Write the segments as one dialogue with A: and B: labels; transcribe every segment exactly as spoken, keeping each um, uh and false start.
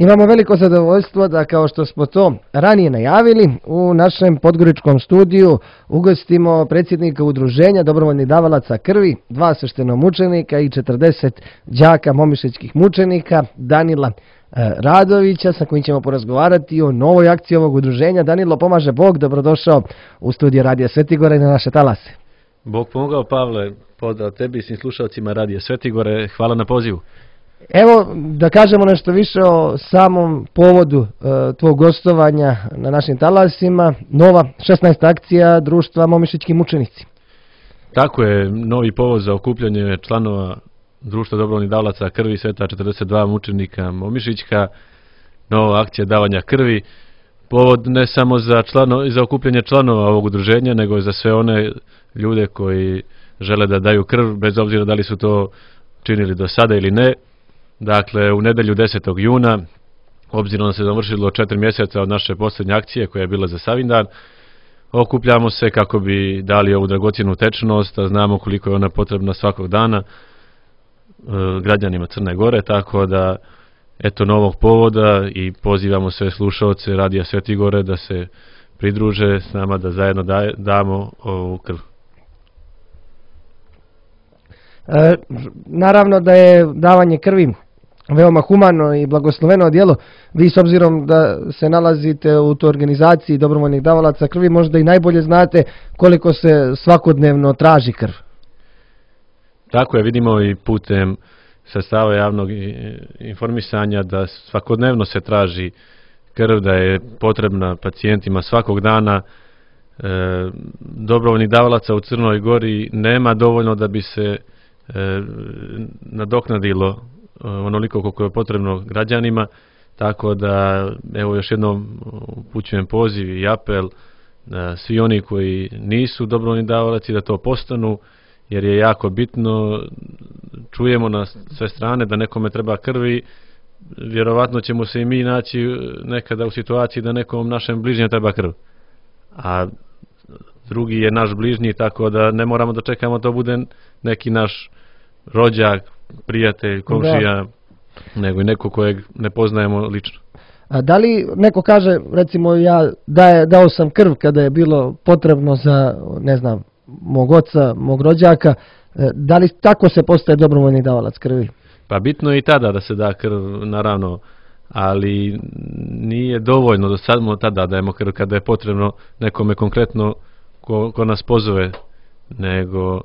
A: Imamo veliko zadovoljstvo da, kao što smo to ranije najavili, u našem podgoričkom studiju ugostimo predsjednika udruženja dobrovoljnih davalaca krvi, dva sveštenomučenika i četrdeset đaka momišećkih mučenika, Danila Radovića, sa kojim ćemo porazgovarati o novoj akciji ovog udruženja. Danilo, pomaže Bog, dobrodošao u studiju Radija Svetigore i na naše talase.
B: Bog pomogao, Pavle, pozdrav tebi i svim slušalcima Radija Svetigore, hvala na pozivu.
A: Evo, da kažemo nešto više o samom povodu e, tvog gostovanja na našim talasima, nova šesnaesta akcija društva Momišićki mučenici.
B: Tako je, novi povod za okupljanje članova društva dobrovoljnih davalaca krvi Sveta četrdeset dva mučenika Momišićka, nova akcija davanja krvi, povod ne samo za, člano, za okupljanje članova ovog udruženja, nego i za sve one ljude koji žele da daju krv, bez obzira da li su to činili do sada ili ne. Dakle, u nedelju desetog juna, obzirom da se završilo četiri mjeseca od naše posljednje akcije koja je bila za Savindan, okupljamo se kako bi dali ovu dragocjenu tečnost, a znamo koliko je ona potrebna svakog dana e, građanima Crne Gore, tako da eto novog povoda i pozivamo sve slušaoce Radija Svetigore da se pridruže s nama, da zajedno daje, damo ovu krv.
A: E, naravno da je davanje krvi veoma humano i blagosloveno djelo. Vi, s obzirom da se nalazite u toj organizaciji dobrovoljnih davalaca krvi, možda i najbolje znate koliko se svakodnevno traži krv.
B: Tako je, vidimo i putem sredstava javnog informisanja da svakodnevno se traži krv, da je potrebna pacijentima svakog dana. E, dobrovoljnih davalaca u Crnoj Gori nema dovoljno da bi se e, nadoknadilo onoliko koliko je potrebno građanima, tako da evo još jednom upućujem poziv i apel da svi oni koji nisu dobrovoljni davalaci da to postanu, jer je jako bitno. Čujemo na sve strane da nekome treba krvi, vjerovatno ćemo se i mi naći nekada u situaciji da nekom našem bližnjem treba krv, a drugi je naš bližnji, tako da ne moramo da čekamo da to bude neki naš rođak, prijatelj, komšija, da, nego i neko kojeg ne poznajemo lično.
A: A da li neko kaže, recimo ja daje, dao sam krv kada je bilo potrebno za, ne znam, mog oca, mog rođaka, da li tako se postaje dobrovoljni davalac krvi?
B: Pa bitno je i tada da se da krv, naravno, ali nije dovoljno da samo tada dajemo krv kada je potrebno nekome konkretno ko, ko nas pozove, nego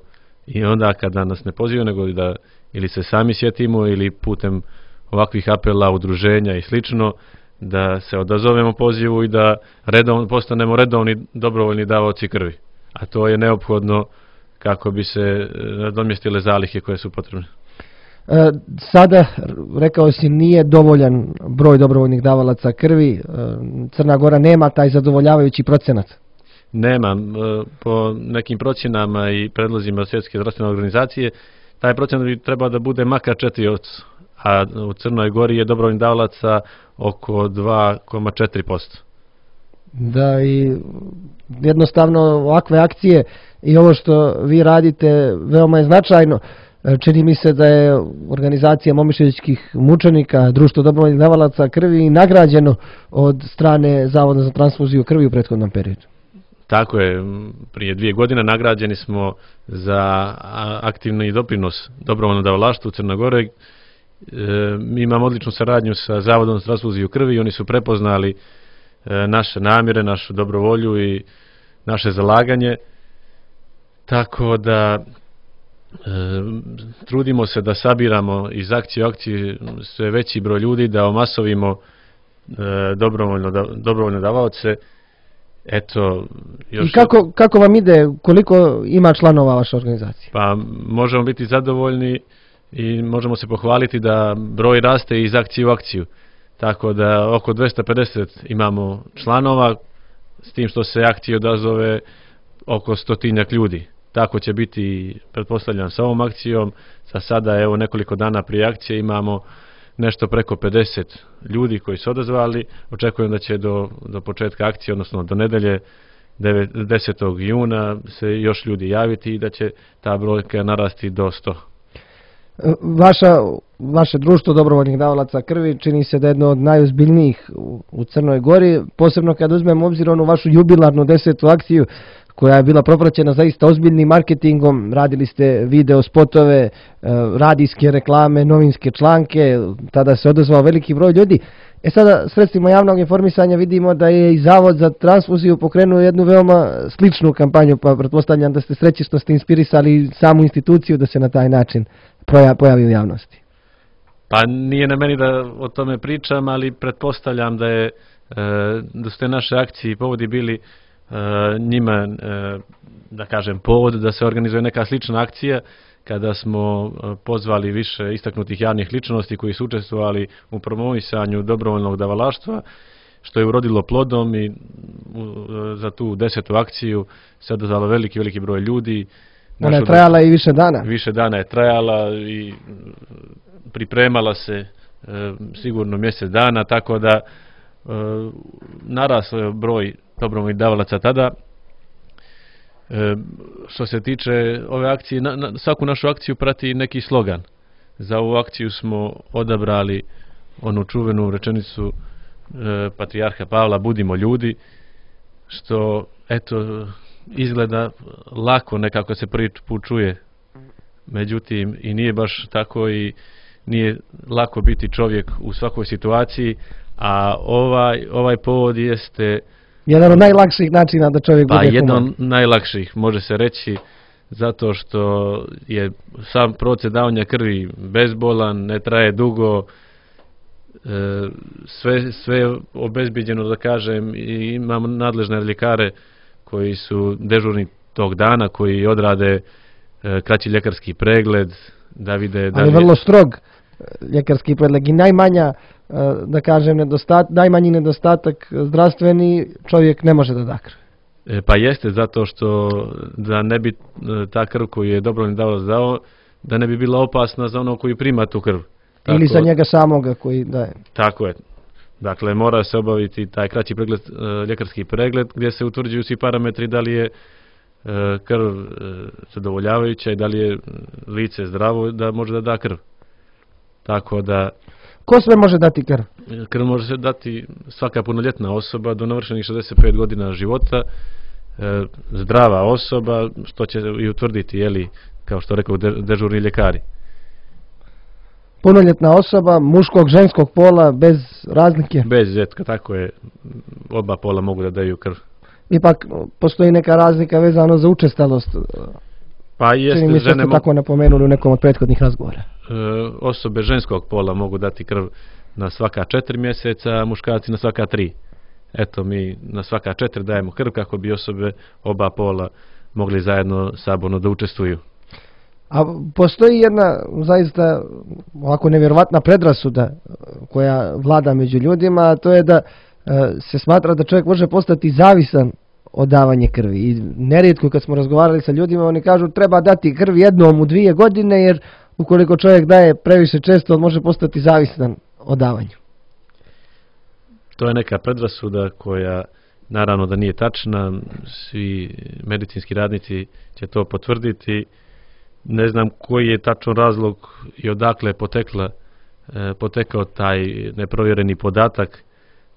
B: i onda kada nas ne pozivaju, nego da ili se sami sjetimo ili putem ovakvih apela, udruženja i slično, da se odazovemo pozivu i da redovno, postanemo redovni dobrovoljni davaoci krvi. A to je neophodno kako bi se nadomjestile zalihe koje su potrebne.
A: E, sada, rekao si, nije dovoljan broj dobrovoljnih davalaca krvi. E, Crna Gora nema taj zadovoljavajući procenat.
B: Nema. Po nekim procjenama i predlozima Svjetske zdravstvene organizacije, taj procenat bi trebao da bude makar četiri posto, a u Crnoj Gori je dobrovoljnih davalaca oko dva zarez četiri posto.
A: Da, i jednostavno ovakve akcije i ovo što vi radite veoma je značajno. Čini mi se da je organizacija Momišićkih mučenika, društvo dobrovoljnih davalaca krvi, nagrađeno od strane Zavoda za transfuziju krvi u prethodnom periodu. Tako
B: je, prije dvije godine nagrađeni smo za aktivni doprinos dobrovoljnom davalaštvu u Crnoj Gori. E, mi imamo odličnu saradnju sa Zavodom za transfuziju krvi i oni su prepoznali e, naše namjere, našu dobrovolju i naše zalaganje. Tako da e, trudimo se da sabiramo iz akcije u akciju sve veći broj ljudi, da omasovimo e, dobrovoljno, da, dobrovoljne davaoce. Eto, još... I kako, kako vam ide, koliko ima članova vaše organizacije? Pa možemo biti zadovoljni i možemo se pohvaliti da broj raste iz akcije u akciju. Tako da oko dvesta pedeset imamo članova, s tim što se akcije odazove oko stotinjak ljudi. Tako će biti, pretpostavljam, sa ovom akcijom. Za sada, evo, nekoliko dana prije akcije imamo nešto preko pedeset ljudi koji su odazvali. Očekujem da će do, do početka akcije, odnosno do nedelje desetog juna se još ljudi javiti i da će ta brojka narasti do sto.
A: Vaša, vaše društvo dobrovoljnih davalaca krvi čini se da je jedno od najozbiljnijih u, u Crnoj Gori, posebno kad uzmemo obzir onu vašu jubilarnu desetu akciju koja je bila propraćena zaista ozbiljnim marketingom. Radili ste video spotove, radijske reklame, novinske članke, tada se odazvao veliki broj ljudi. E sada, sredstvima javnog informisanja vidimo da je i Zavod za transfuziju pokrenuo jednu veoma sličnu kampanju, pa pretpostavljam da ste srećni što ste inspirisali samu instituciju da se na taj način pojavi u javnosti.
B: Pa nije na meni da o tome pričam, ali pretpostavljam da je da su te naše akcije i povodi bili njima, da kažem, povod da se organizuje neka slična akcija kada smo pozvali više istaknutih javnih ličnosti koji su učestvovali u promovisanju dobrovoljnog davalaštva, što je urodilo plodom i za tu desetu akciju se odazvalo veliki, veliki broj ljudi.
A: Ona je trajala i više dana.
B: Više dana je trajala i pripremala se sigurno mjesec dana, tako da narasao je broj dobrovoljnih davalaca tada. E, što se tiče ove akcije, na, na, svaku našu akciju prati neki slogan. Za ovu akciju smo odabrali onu čuvenu rečenicu e, patrijarha Pavla, budimo ljudi, što eto izgleda lako, nekako se prvi put čuje, međutim i nije baš tako i nije lako biti čovjek u svakoj situaciji, a ovaj, ovaj povod jeste
A: jedan od najlakših načina da čovjek
B: pa
A: bude human.
B: jedan od najlakših, može se reći, zato što je sam proces davanja krvi bezbolan, ne traje dugo, e, sve, sve je obezbiđeno, da kažem, i imamo nadležne ljekare koji su dežurni tog dana, koji odrade e, kraći ljekarski pregled, da vide da
A: ali je vrlo strog ljekarski pregled i najmanja, da kažem, nedostat, najmanji nedostatak zdravstveni čovjek ne može da da krv.
B: E, pa jeste, zato što da ne bi ta krv koju je dobrovoljni davalac dao, da ne bi bila opasna za ono koji prima tu krv.
A: Tako, ili za njega samoga koji daje.
B: Tako je. Dakle, mora se obaviti taj kraći pregled, ljekarski pregled, gdje se utvrđuju svi parametri da li je krv zadovoljavajuća i da li je lice zdravo da može da da krv. Tako da...
A: Ko sve može dati krv?
B: Krv može se dati svaka punoljetna osoba do navršenih šezdeset pet godina života, e, zdrava osoba, što će i utvrditi, jeli, kao što rekao, dežurni ljekari.
A: Punoljetna osoba, muškog, ženskog pola, bez razlike?
B: Bez izuzetka, tako je, oba pola mogu da daju krv.
A: Ipak postoji neka razlika vezano za učestalost.
B: Pa jeste,
A: čini mi se
B: žene
A: ste tako napomenuli u nekom od prethodnih razgovora.
B: E, osobe ženskog pola mogu dati krv na svaka četiri mjeseca, a muškarci na svaka tri. Eto, mi na svaka četiri dajemo krv kako bi osobe oba pola mogli zajedno saborno da učestvuju.
A: A postoji jedna zaista ovako nevjerovatna predrasuda koja vlada među ljudima, a to je da se smatra da čovjek može postati zavisan od davanja krvi. I nerijetko kad smo razgovarali sa ljudima, oni kažu treba dati krv jednom u dvije godine, jer ukoliko čovjek daje previše često, on može postati zavisan od davanju.
B: To je neka predrasuda koja naravno da nije tačna, svi medicinski radnici će to potvrditi. Ne znam koji je tačan razlog i odakle je potekla, e, potekao taj neprovjereni podatak,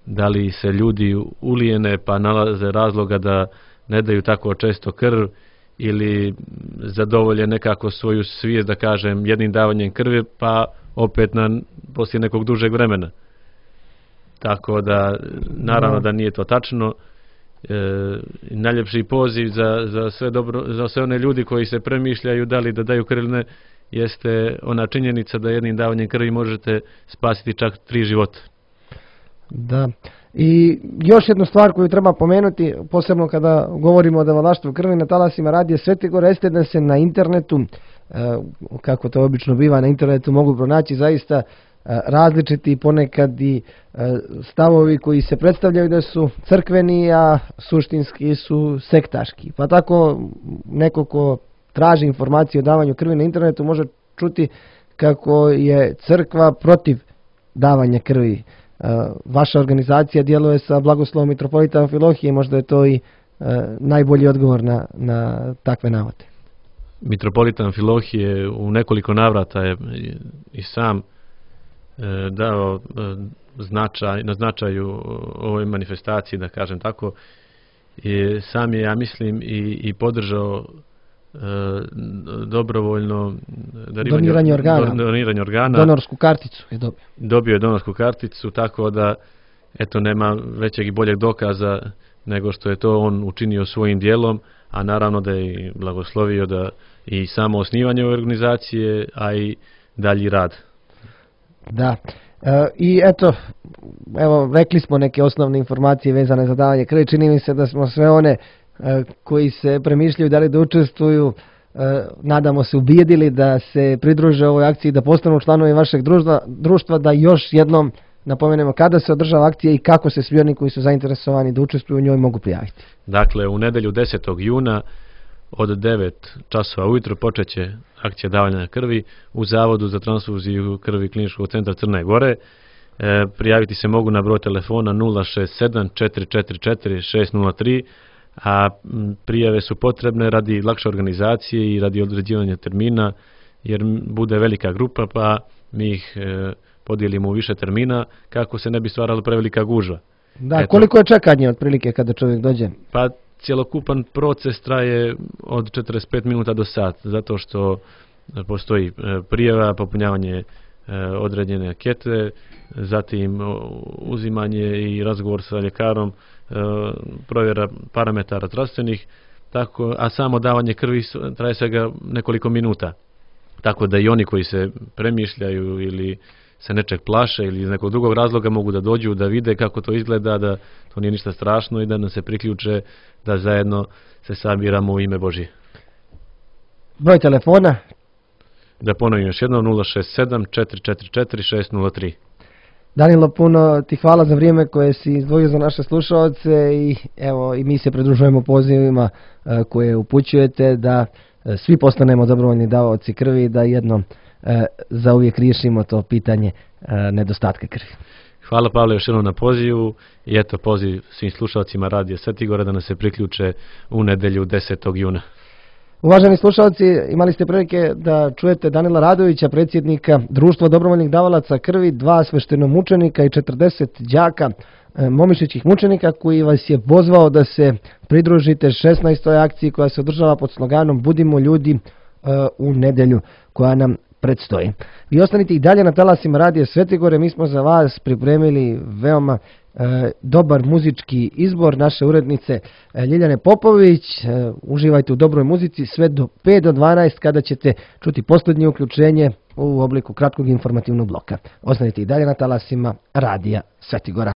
B: da li se ljudi ulijene pa nalaze razloga da ne daju tako često krv ili zadovolje nekako svoju svijest, da kažem, jednim davanjem krvi pa opet na, poslije nekog dužeg vremena. Tako da naravno da nije to tačno. E, najljepši poziv za, za, sve dobro, za sve one ljudi koji se premišljaju da li da daju krv ili ne, jeste ona činjenica da jednim davanjem krvi možete spasiti čak tri života.
A: Da. I još jednu stvar koju treba pomenuti, posebno kada govorimo o davalaštvu krvi na talasima radija Svetigora, jeste da se na internetu, kako to obično biva, na internetu mogu pronaći zaista različiti ponekad i stavovi koji se predstavljaju da su crkveni, a suštinski su sektaški. Pa tako neko ko traži informacije o davanju krvi na internetu može čuti kako je crkva protiv davanja krvi. Vaša organizacija djeluje sa blagoslovom mitropolita Amfilohije, možda je to i najbolji odgovor na, na takve navode.
B: mitropolitan Amfilohije u nekoliko navrata je i sam dao značaj, na značaju ovoj manifestaciji, da kažem tako. I sam je, ja mislim, i, i podržao e, dobrovoljno
A: doniranje organa.
B: doniranje organa.
A: Donorsku karticu je dobio.
B: Dobio je donorsku karticu, tako da eto, nema većeg i boljeg dokaza nego što je to on učinio svojim dijelom, a naravno da je blagoslovio da i samo osnivanje ove organizacije, a i dalji rad.
A: Da. E, I eto, evo, rekli smo neke osnovne informacije vezane za davanje krvi. Čini mi se da smo sve one e, koji se premišljaju da li da učestvuju, e, nadamo se ubijedili da se pridruže ovoj akciji, da postanu članovi vašeg društva, društva, da još jednom napomenemo kada se održava akcija i kako se svi oni koji su zainteresovani da učestvuju u njoj mogu prijaviti.
B: Dakle, u nedelju desetog juna od devet časova ujutro počeće akcija davanja krvi u Zavodu za transfuziju krvi Kliničkog centra Crne Gore. E, prijaviti se mogu na broj telefona nula šest sedam četiri četiri četiri šest nula tri, a prijave su potrebne radi lakše organizacije i radi određivanja termina, jer bude velika grupa, pa mi ih e, podijelimo u više termina kako se ne bi stvarala prevelika gužva.
A: Da, eto, koliko je čekanje otprilike kada čovjek dođe?
B: Pa cjelokupan proces traje od četrdeset pet minuta do sat, zato što postoji prijava, popunjavanje određene ankete, zatim uzimanje i razgovor sa ljekarom, provjera parametara zdravstvenih, tako, a samo davanje krvi traje svega nekoliko minuta. Tako da i oni koji se premišljaju ili se nečeg plaše ili iz nekog drugog razloga mogu da dođu, da vide kako to izgleda, da to nije ništa strašno i da nam se priključe, da zajedno se sabiramo u ime Božje.
A: Broj telefona?
B: Da ponovim još jednom, nula šest sedam četiri četiri četiri šest nula tri.
A: Danilo, puno ti hvala za vrijeme koje si izdvojio za naše slušaoce i evo i mi se pridružujemo pozivima koje upućujete da svi postanemo dobrovoljni davaoci krvi i da jednom zauvijek riješimo to pitanje nedostatka krvi.
B: Hvala, Pavle, još jednom na pozivu i eto poziv svim slušalcima Radija Svetigora da nas se priključe u nedelju desetog juna.
A: Uvaženi slušalci, imali ste prilike da čujete Danila Radovića, predsjednika Društva dobrovoljnih davalaca krvi, dva sveštenomučenika i četrdeset đaka momišićih mučenika, koji vas je pozvao da se pridružite šesnaestoj akciji koja se održava pod sloganom Budimo ljudi u nedelju koja nam predstoji. Vi ostanite i dalje na talasima Radija Svetigore, mi smo za vas pripremili veoma e, dobar muzički izbor naše urednice e, Ljiljane Popović. E, uživajte u dobroj muzici sve do pet do dvanaest kada ćete čuti posljednje uključenje u obliku kratkog informativnog bloka. Ostanite i dalje na talasima Radija Svetigora.